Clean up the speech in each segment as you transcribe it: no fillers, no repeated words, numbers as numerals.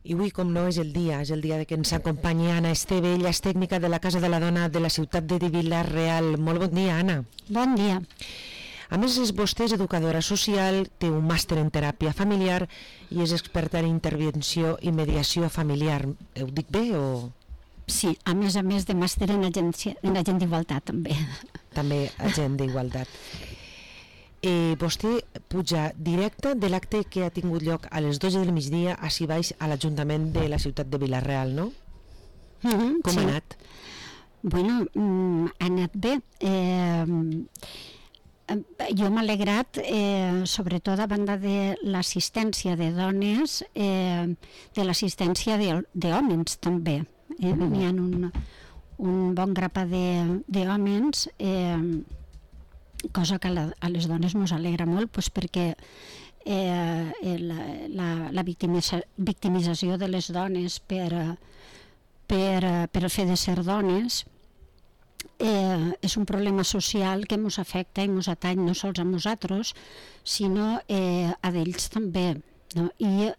I avui, com no, és el dia de que ens acompanyi Anna Esteve, ella és tècnica de la Casa de la Dona de la ciutat de Vila-real. Molt bon dia, Anna. Bon dia. A més, vostè és educadora social, té un màster en teràpia familiar i és experta en intervenció i mediació familiar. Ho dic bé o...? Sí, a més de màster en agent d'igualtat, també. També agent d'igualtat. Vostè puja directe de l'acte que ha tingut lloc a les 12 del migdia així baix a l'Ajuntament de la ciutat de Vila-real, no? Com ha anat? Bueno, ha anat bé. Jo m'he alegrat, sobretot a banda de l'assistència de dones, de l'assistència d'homes també. Hi ha un bon grapat d'homes, cosa que a les dones ens alegra molt, perquè la victimització de les dones per el fet de ser dones és un problema social que ens afecta i ens atany no sols a nosaltres, sinó a d'ells també, no? I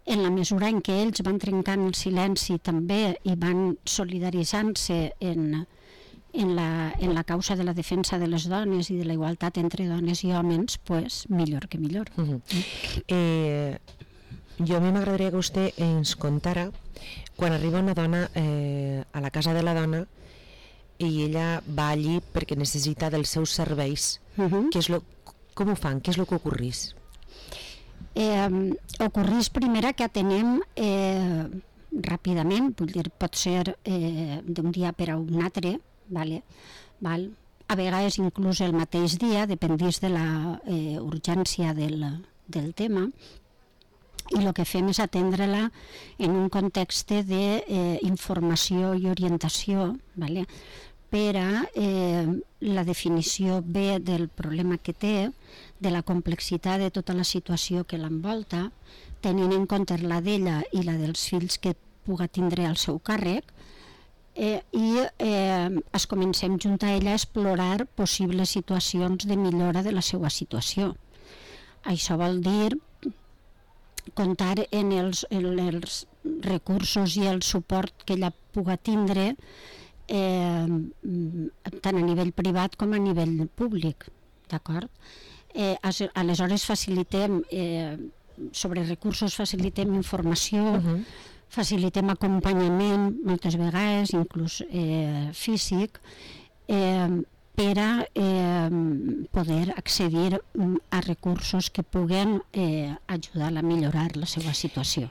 en la mesura en què ells van trencant el silenci també i van solidaritzant-se en la causa de la defensa de les dones i de la igualtat entre dones i homes, pues millor que millor. Jo a mi m'agradaria que vostè ens contara quan arriba una dona a la Casa de la Dona i ella va allí perquè necessita dels seus serveis. Com ho fan? Què és el que ocorrís? Ocorrís primera que atenem ràpidament, vull dir, pot ser d'un dia per a un altre, val? A vegades inclús el mateix dia, dependís de la urgència del tema, i el que fem és atendre-la en un context d'informació i orientació, per a la definició bé del problema que té, de la complexitat de tota la situació que l'envolta, tenint en compte la d'ella i la dels fills que puga tindre al seu càrrec, i es comencem junt a ella a explorar possibles situacions de millora de la seva situació. Això vol dir comptar en els recursos i el suport que ella puga tindre tant a nivell privat com a nivell públic, d'acord? Aleshores facilitem sobre recursos, facilitem informació, facilitem acompanyament moltes vegades, inclús físic, per a poder accedir a recursos que puguen ajudar a millorar la seva situació.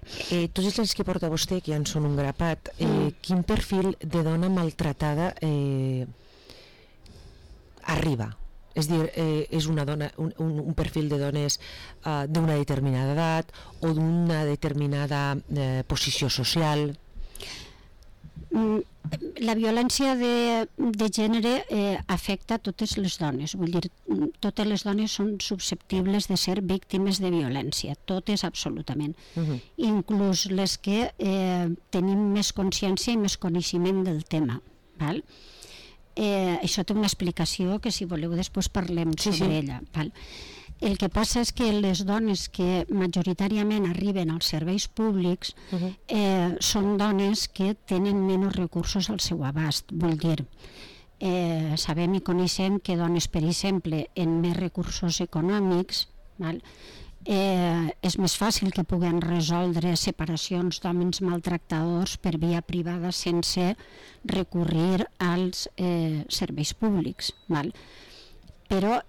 Tots els anys que porta vostè, que ja en són un grapat, quin perfil de dona maltratada arriba? És dir, és una dona, un perfil de dones d'una determinada edat o d'una determinada posició social? La violència de gènere afecta totes les dones, vull dir, totes les dones són susceptibles de ser víctimes de violència, totes absolutament, inclús les que tenim més consciència i més coneixement del tema, val? Això té una explicació que si voleu després parlem sobre ella, val? El que passa és que les dones que majoritàriament arriben als serveis públics són dones que tenen menys recursos al seu abast. Vull dir, sabem i coneixem que dones, per exemple, amb més recursos econòmics, és més fàcil que puguen resoldre separacions d'homes maltractadors per via privada sense recurrir als serveis públics. Però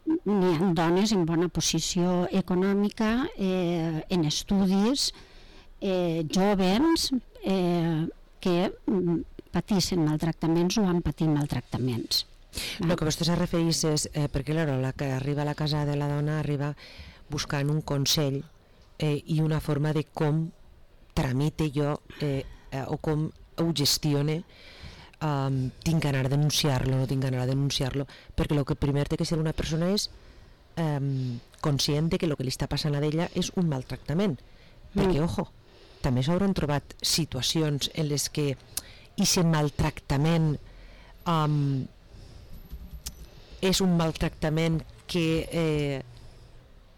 n'hi ha dones en bona posició econòmica, en estudis, joves que patissin maltractaments o han patit maltractaments. El que vostè se refereix és perquè la que arriba a la Casa de la Dona arriba buscant un consell i una forma de com tramite jo o com ho gestione, tinc ganar de denunciar-lo, no tinc ganar de denunciar-lo, perquè el que primer té que ser una persona és conscient de que el que li està passant a ella és un maltractament, perquè, ojo, també s'hauran trobat situacions en les que aquest maltractament és un maltractament que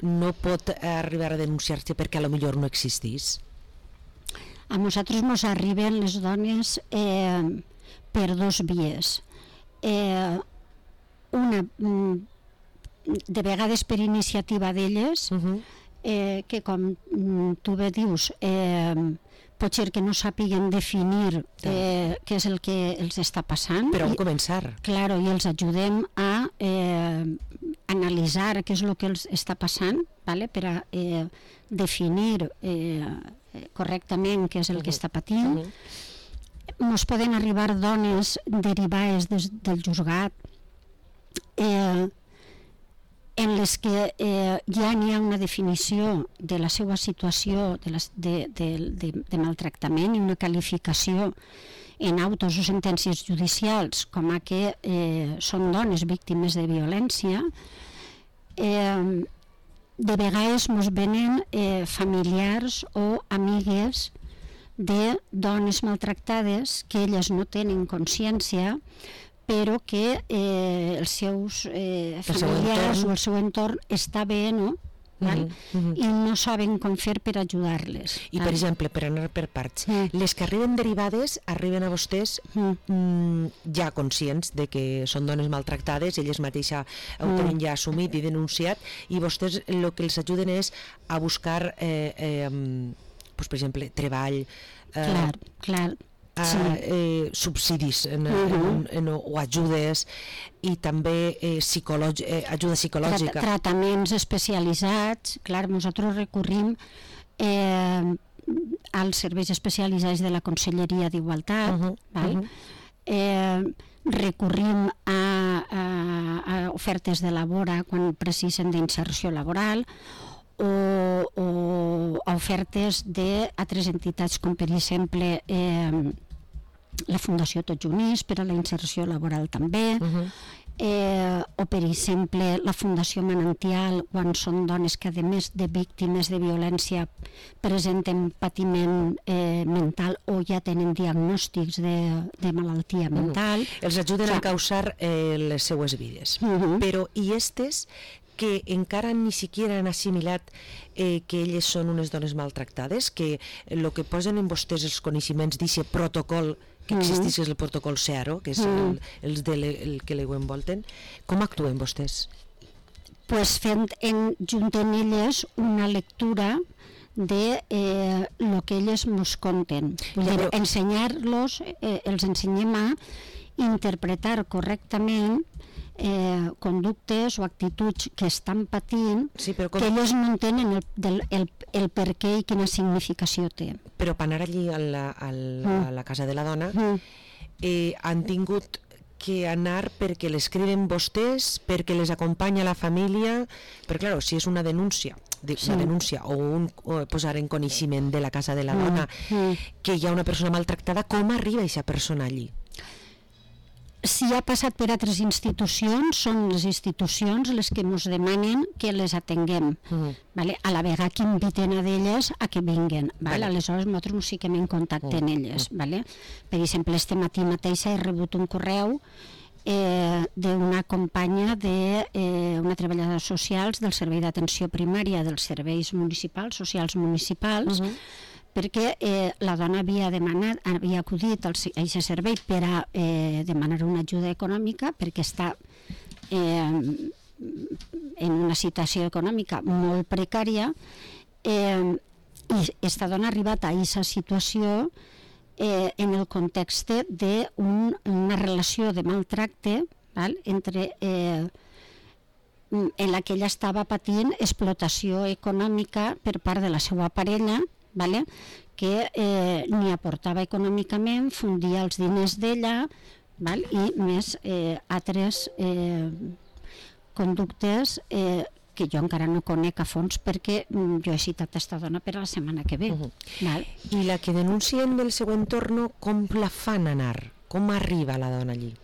no pot arribar a denunciar-se perquè a lo millor no existís? A nosaltres ens arriben les dones per dos vies. Una, de vegades per iniciativa d'elles, que com tu bé dius, pot ser que no sàpiguen definir què és el que els està passant. Per on començar? Claro, i els ajudem a analitzar què és el que els està passant, vale? Per a definir correctament què és el que està patint. Ens poden arribar dones derivades del juzgat en les que ja n'hi ha una definició de la seva situació de maltractament i una qualificació en autos o sentències judicials com a que són dones víctimes de violència. De vegades ens venen familiars o amigues de dones maltractades que elles no tenen consciència, però que els seus familiars o el seu entorn està bé, no? I no saben com fer per ajudar-les. I per exemple, per anar per parts, les que arriben derivades arriben a vostès ja conscients de que són dones maltractades, elles mateixes ho tenen ja assumit i denunciat, i vostès el que els ajuden és a buscar per exemple, treball, subsidis o ajudes, i també ajuda psicològica, tractaments especialitzats. Clar, nosaltres recorrim als serveis especialitzats de la Conselleria d'Igualtat, recorrim a ofertes de labora quan precisen d'inserció laboral, o ofertes d'altres entitats com per exemple la Fundació Tots Units per a la inserció laboral també, o per exemple la Fundació Manantial quan són dones que a més de víctimes de violència presenten patiment mental o ja tenen diagnòstics de malaltia mental. Els ajuden a encausar les seues vides. Però i estes que encara ni siquiera han assimilat que elles són unes dones maltractades, que el que posen en vostès els coneixements d'aquest protocol que existeix, és el protocol CEARO, que és el que ho envolten, com actuen vostès? Pues fent junt amb elles una lectura de lo que elles ens conten. Ensenyar-los, els ensenyem a interpretar correctament conductes o actituds que estan patint, que elles no entenen el per què i quina significació té. Però per anar allí a la casa de la dona han tingut que anar perquè l'escriuen vostès, perquè les acompanya la família, perquè clar, si és una denúncia o posar en coneixement de la casa de la dona que hi ha una persona maltractada, com arriba aquesta persona allí? Si ha passat per altres institucions, són les institucions les que ens demanen que les atenguem, a la vegada que inviten a d'elles a que vinguen. Aleshores nosaltres ens fiquem en contacte amb elles. Per exemple, este matí mateix he rebut un correu d'una companya d'una treballadora socials del Servei d'Atenció Primària dels Serveis Municipals, Socials Municipals, perquè la dona havia acudit a aquest servei per a demanar una ajuda econòmica perquè està en una situació econòmica molt precària, i aquesta dona ha arribat a aquesta situació en el context d'una relació de maltracte entre en la que ella estava patint explotació econòmica per part de la seva parella, que ni aportava econòmicament, fundia els diners d'ella i més altres conductes que jo encara no conec a fons perquè jo he citat aquesta dona per a la setmana que ve. I la que denuncien del seu entorn, com la fan anar? Com arriba la dona allí?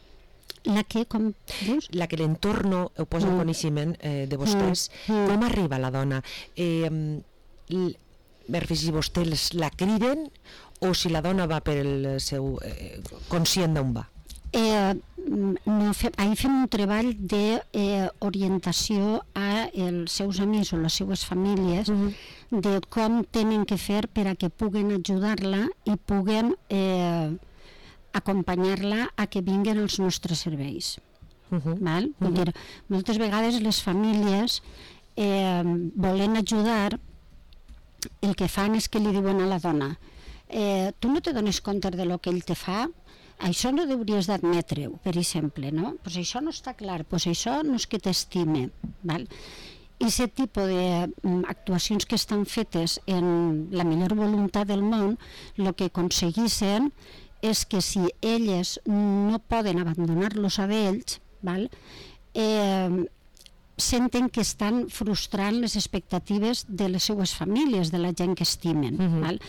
La que, com dius? La que l'entorn ho posa en coneixement de vostès, com arriba la dona? Si vostès la criden o si la dona va per el seu conscient d'on va? Ahir fem un treball d'orientació a els seus amics o les seues famílies de com tenen que fer per a que puguen ajudar-la i puguen acompanyar-la a que vinguen als nostres serveis. Val? Vull dir, moltes vegades les famílies volent ajudar, el que fan és que li diuen a la dona tu no te dones compte de lo que ell te fa? Això no hauries d'admetre-ho, per exemple, no? Pues això no està clar, pues això no és que t'estime, val? I aquest tipus d'actuacions que estan fetes en la millor voluntat del món, el que aconseguissin és que si elles no poden abandonar-los a ells, val? Senten que estan frustrant les expectatives de les seues famílies, de la gent que estimen. Val?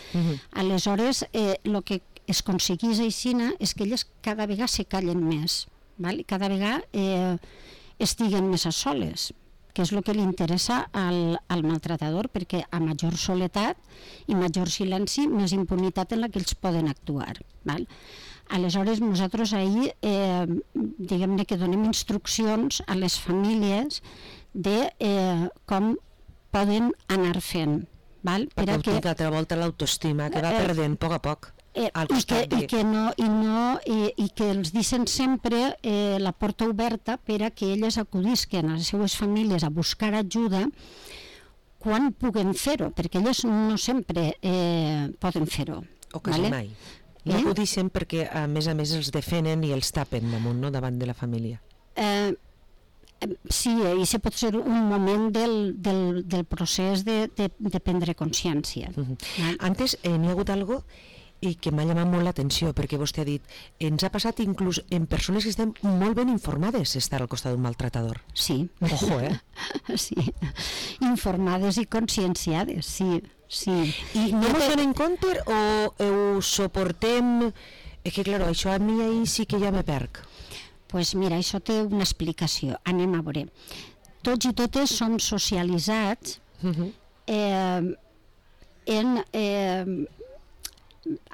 Aleshores, el que es aconseguís així és que elles cada vegada se callen més, val? Cada vegada estiguen més a soles, que és el que li interessa al maltratador, perquè a major soledat i major silenci, més impunitat en la que ells poden actuar. Val? Aleshores, nosaltres ahir, diguem-ne que donem instruccions a les famílies de com poden anar fent. Val? Per que altra volta l'autoestima, que va perdent a poc al costat i que els deixen sempre la porta oberta per a que elles acudisquen a les seues famílies a buscar ajuda quan puguen fer-ho, perquè elles no sempre poden fer-ho. O quasi mai. No acudixen perquè a més els defenen i els tapen damunt, no? Davant de la família. Sí, i això pot ser un moment del procés de prendre consciència. Antes n'hi ha hagut algo i que m'ha llamat molt l'atenció, perquè vostè ha dit, ens ha passat inclús en persones que estan molt ben informades estar al costat d'un maltratador. Sí. Ojo, Sí, informades i conscienciades, sí. I no ens donen en compte o ho suportem? És que, clar, això a mi ahir sí que ja me perc. Doncs mira, això té una explicació. Anem a veure. Tots i totes som socialitzats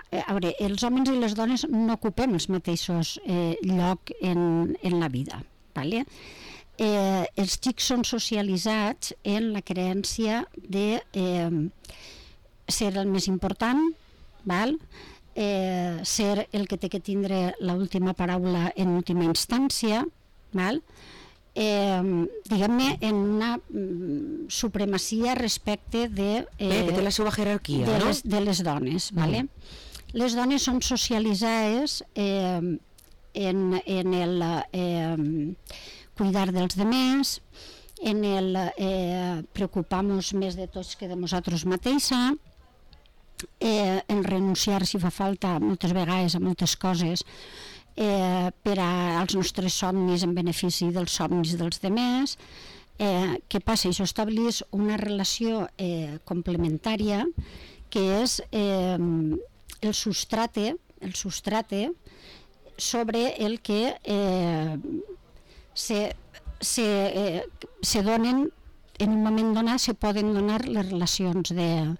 a veure, els homes i les dones no ocupem els mateixos lloc en la vida, vale? Els xics són socialitzats en la creença de ser el més important, val? Ser el que té que tindre l'última paraula en última instància, val? Diguem-ne, en una supremacia respecte de té la seva jerarquia, no? De les dones, vale? Les dones són socialitzades en el cuidar dels demés, en el preocupar-nos més de tots que de nosaltres mateixa, en renunciar si fa falta moltes vegades a moltes coses per als nostres somnis en benefici dels somnis dels demés. Què passa? Això estableix una relació complementària que és el substrate sobre el que se donen en un moment donat, se poden donar les relacions de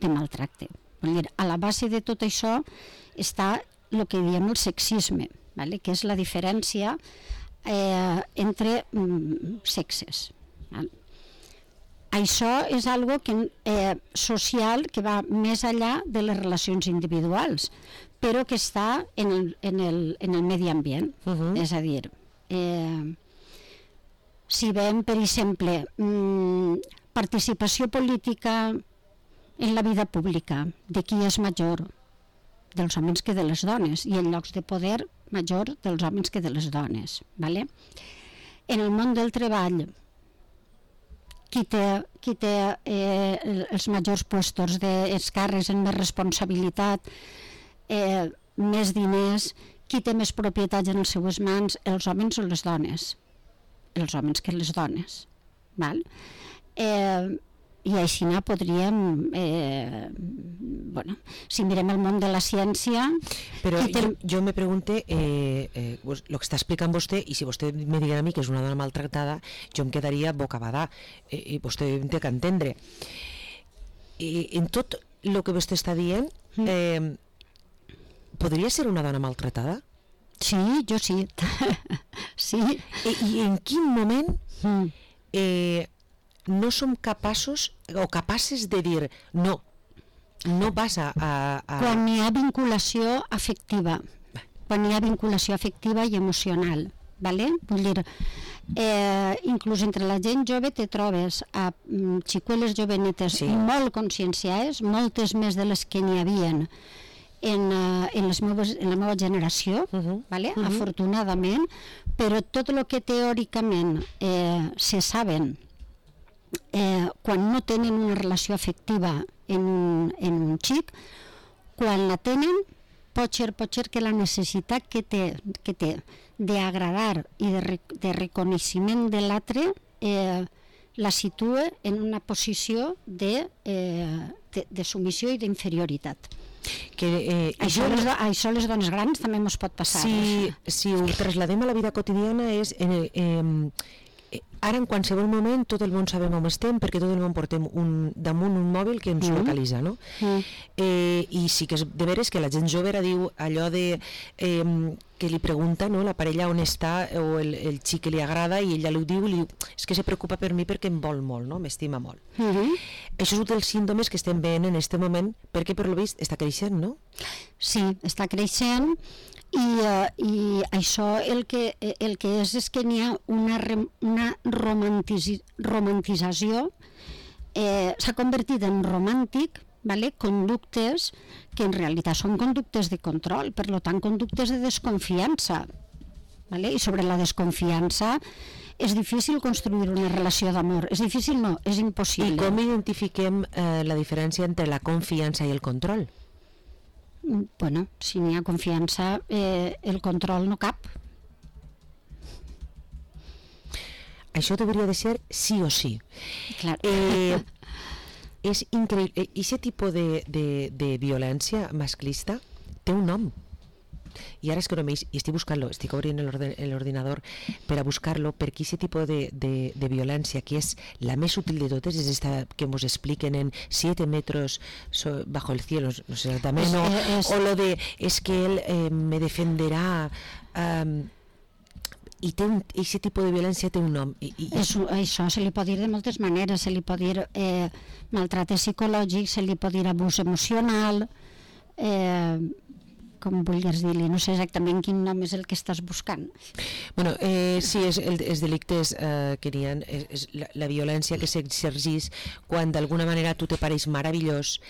maltracte. Vull dir, a la base de tot això està el que diem el sexisme, vale? Que és la diferència entre sexes. Vale? Això és algo social que va més enllà de les relacions individuals, però que està en el medi ambient. És a dir, si veiem, per exemple, participació política en la vida pública, de qui és major? Dels homes que de les dones, i en llocs de poder major dels homes que de les dones. Vale? En el món del treball, qui té els majors puestos dels càrrecs en més responsabilitat, més diners, qui té més propietats en les seues mans, els homes o les dones? Els homes que les dones. Val? I així podríem, si mirem el món de la ciència... Però jo me pregunte, el que està explicant vostè, i si vostè me digui a mi que és una dona maltractada, jo em quedaria bocabadà, i vostè em té que entendre. En tot el que vostè està dient, podria ser una dona maltratada? Sí, jo sí. Sí. I en quin moment no som capaços o capaces de dir no vas a... Quan hi ha vinculació afectiva, i emocional, ¿vale? Vull dir, inclús entre la gent jove te trobes a xicueles jovenetes molt conscienciades, moltes més de les que n'hi havien en la meva generació, ¿vale? Afortunadament, però tot el que teòricament se saben quan no tenen una relació afectiva en un xic, quan la tenen, pot ser que la necessitat que té d'agradar i de reconeixement de l'altre la situa en una posició de submissió i d'inferioritat. Això les dones grans també ens pot passar. Si ho trasladem a la vida quotidiana és... Ara en qualsevol moment tot el món sabem on estem perquè tot el món portem damunt un mòbil que ens localitza, no? I sí que és de veres que la gent jove ara diu allò de que li pregunta, no, la parella on està o el xic que li agrada i ella li diu és que se preocupa per mi perquè em vol molt, no? M'estima molt. Això és un dels símptomes que estem veient en aquest moment perquè per lo vist està creixent, no? Sí, està creixent. I això el que és que n'hi ha una romantització, s'ha convertit en romàntic, ¿vale? Conductes que en realitat són conductes de control, per tant conductes de desconfiança, ¿vale? I sobre la desconfiança és difícil construir una relació d'amor, és difícil no, és impossible. I com identifiquem la diferència entre la confiança i el control? Bueno, si n'hi ha confiança, el control no cap. Això hauria de ser sí o sí. Clar. És increïble. Aquest tipus de violència masclista té un nom. I ara és que no estic buscant-lo, estic obrint l'ordinador per a buscar-lo, perquè aquest tipus de violència, que és la més útil de totes, és esta que ens expliquen en 7 metros bajo el cielo, no sé exactament, o lo de es que él me defenderà, i aquest tipus de violència té un nom. Això se li pot dir de moltes maneres, se li pot dir maltracte psicològic, se li pot dir abús emocional, com vulguis dir-li, no sé exactament quin nom és el que estàs buscant. Bueno, sí, els delictes que n'hi ha, és la violència que s'exerceix quan d'alguna manera tu te pareix meravellós,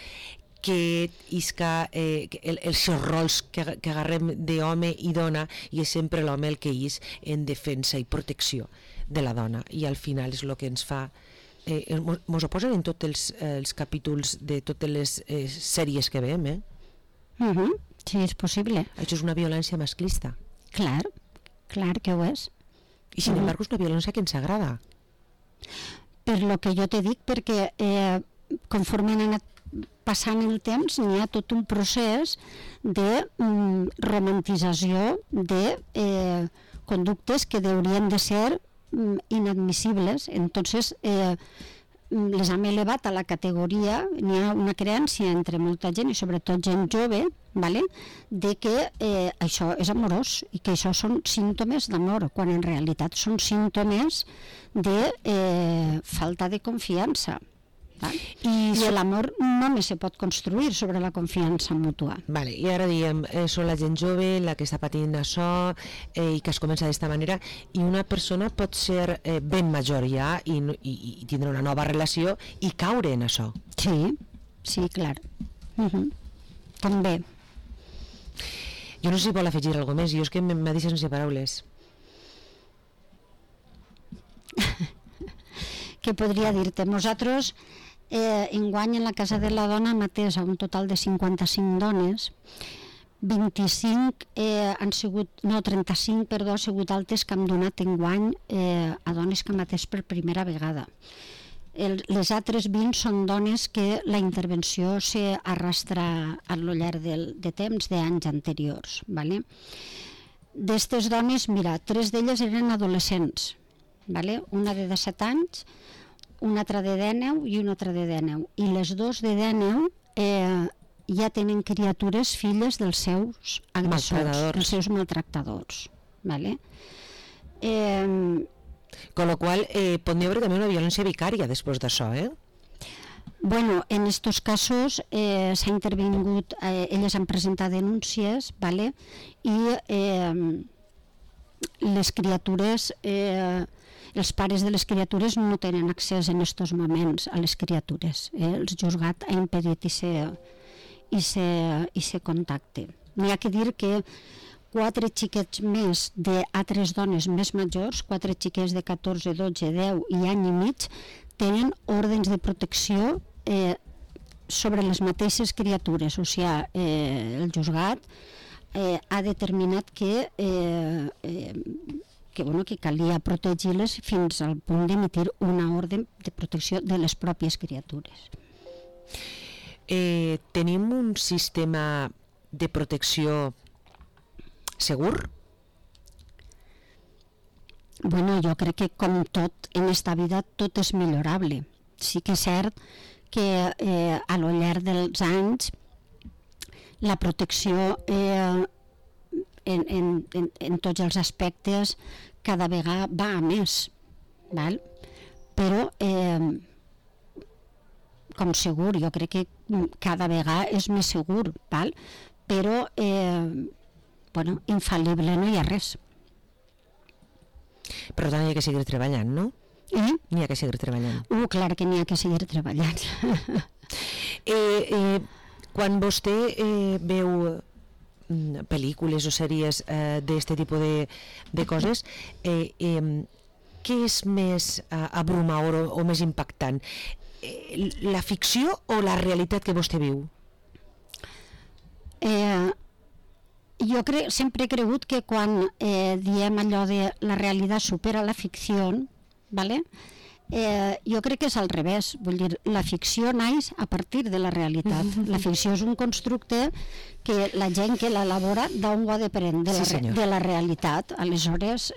que isca els seus rols que agarrem d'home i dona, i és sempre l'home el que és en defensa i protecció de la dona, i al final és el que ens fa... Mos ho posen en tots els capítols de totes les sèries que veiem, Sí, és possible. Això és una violència masclista. Clar que ho és. I sin embargo és una violència que ens agrada. Per lo que jo te dic, perquè conforme han anat passant el temps n'hi ha tot un procés de romantització de conductes que haurien de ser inadmissibles. Entonces les hem elevat a la categoria, n'hi ha una creença entre molta gent i sobretot gent jove, ¿vale? De que això és amorós i que això són símptomes d'amor, quan en realitat són símptomes de falta de confiança. I l'amor només se pot construir sobre la confiança mútua. Vale, i ara diem, són la gent jove la que està patint això i que es comença d'esta manera, i una persona pot ser ben major ja i tindre una nova relació i caure en això. Sí, clar. També. Jo no sé si vol afegir alguna més, jo és que m'ha deixat sense paraules. Què podria dir-te? Nosaltres enguany en la Casa de la Dona hem atès a un total de 55 dones, 35 han sigut, no, 35, perdó, han sigut altes que hem donat enguany a dones que hem atès per primera vegada. Les altres 20 són dones que la intervenció s'arrastra a lo llarg de temps d'anys anteriors. ¿Vale? D'estes dones, mira, 3 d'elles eren adolescents, ¿vale? Una de 17 anys, una altra de 19 i una altra de 19. I les 2 de 19 ja tenen criatures filles dels seus agressors, dels seus maltractadors. ¿Vale? Con lo qual, pot haver també una violència vicària després d'això, Bueno, en estos casos s'ha intervingut, elles han presentat denúncies, ¿vale? I les criatures, els pares de les criatures no tenen accés en estos moments a les criatures. El juzgat ha impedit ese contacte. N'hi ha que dir que 4 xiquets més d'altres dones més majors, 4 xiquets de 14, 12, 10 i any i mig, tenen ordres de protecció sobre les mateixes criatures. O sigui, el juzgat ha determinat que calia protegir-les fins al punt d'emitir una ordre de protecció de les pròpies criatures. Tenim un sistema de protecció segur? Bueno, jo crec que com tot en esta vida tot és millorable. Sí que és cert que a lo llarg dels anys la protecció en tots els aspectes cada vegada va a més, val? Però com segur, jo crec que cada vegada és més segur, val? Però infal·lible no hi ha res. Però tant hi ha que seguir treballant, no? N'hi ha que seguir treballant. Clar que n'hi ha que seguir treballant. Quan vostè veu pel·lícules o sèries d'aquest tipus de coses, què és més abrumador o més impactant? La ficció o la realitat que vostè viu? Jo sempre he cregut que quan diem allò de la realitat supera la ficció, ¿vale? Jo crec que és al revés, vull dir, la ficció naix a partir de la realitat. La ficció és un constructe que la gent que l'elabora d'on ho ha de prendre, de la realitat. Aleshores,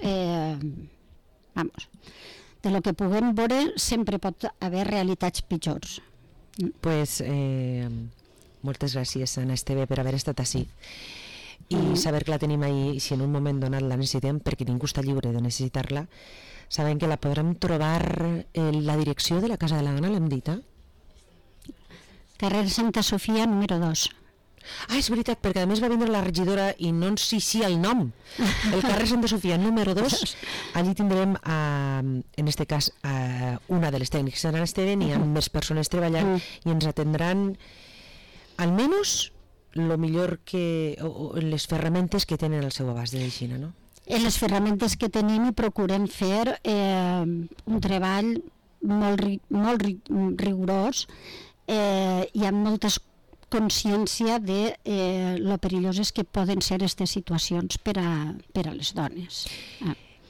de lo que puguem veure sempre pot haver realitats pitjors. Pues moltes gràcies, Anna Esteve, per haver estat ací i saber que la tenim ahí, si en un moment donat la necessitem, perquè ningú està lliure de necessitar-la. Sabem que la podrem trobar en la direcció de la Casa de la Dona, l'hem dit, Carrer Santa Sofia, número 2. És veritat, perquè a més va vindre la regidora i no ens sí el nom. El carrer Santa Sofia, número 2, allí tindrem, en este cas, una de les tècniques de l'Esteve, hi ha més persones treballant i ens atendran almenys lo millor que les ferramentes que tenen al seu abast de l'Eixina, no? En les ferramentes que tenim i procurem fer un treball molt rigorós i amb molta consciència de lo perilloses que poden ser aquestes situacions per a les dones.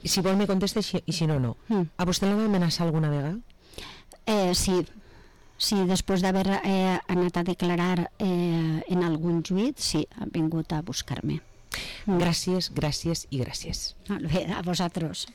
Si vol me contesta i si no, no. A vostè l'han amenaçat alguna vegada? Sí, després d'haver anat a declarar en algun juit, sí, han vingut a buscar-me. Gràcies, gràcies i gràcies. Molt bé, a vosaltres.